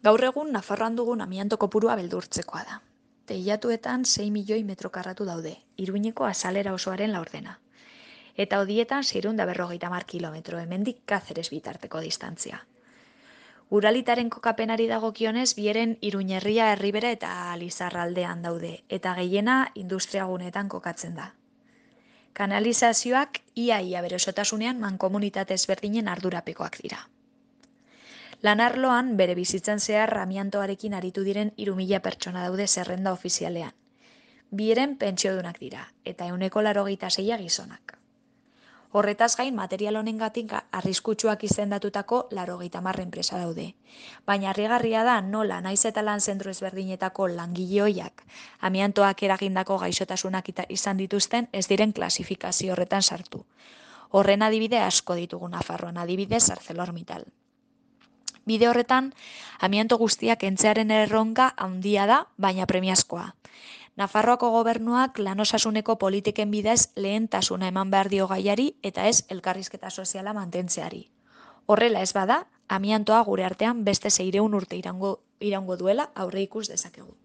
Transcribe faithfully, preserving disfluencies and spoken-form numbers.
Gaur egun Nafarroan dugun amianto kopurua beldurtzekoa da. Teilatuetan sei milioi metro karratu daude, Iruñeko azalera osoaren laurdena. Eta hodietan seiehun eta berrogeita hamar kilometro, hemendik Kazeres bitarteko distantzia. Uralitaren kokapenari dagokionez, bieren Iruñerria Erribera eta Lizarraldean daude, eta gehiena industriagunetan kokatzen da. Kanalizazioak ia-ia bere osotasunean mankomunitate ezberdinen ardurapekoak dira. Lan arloan bere bizitzan zehar amiantoarekin aritu diren hiru mila pertsona daude zerrenda ofizialean. Bieren pentsiodunak dira, eta ehuneko laurogeita seia gizonak. Horretaz gain, material honengatik arriskutsuak izendatutako laurogeita hamar enpresa daude. Baina harrigarria da nola naiz eta lan zentro ezberdinetako langile ohiak amiantoak eragindako gaixotasunak izan dituzten ez diren klasifikazio horretan sartu. Horren adibide asko ditugu Nafarroan, adibidez ArcelorMittal. Bide horretan, amianto guztiak kentzearen erronka handia da, baina premiazkoa. Nafarroako gobernuak lan osasuneko politiken bidez lehentasuna eman behar dio gaiari eta ez elkarrizketa soziala mantentzeari. Horrela ez bada, amiantoa gure artean beste seiehun urte iraungo, iraungo duela aurre ikus dezakegu.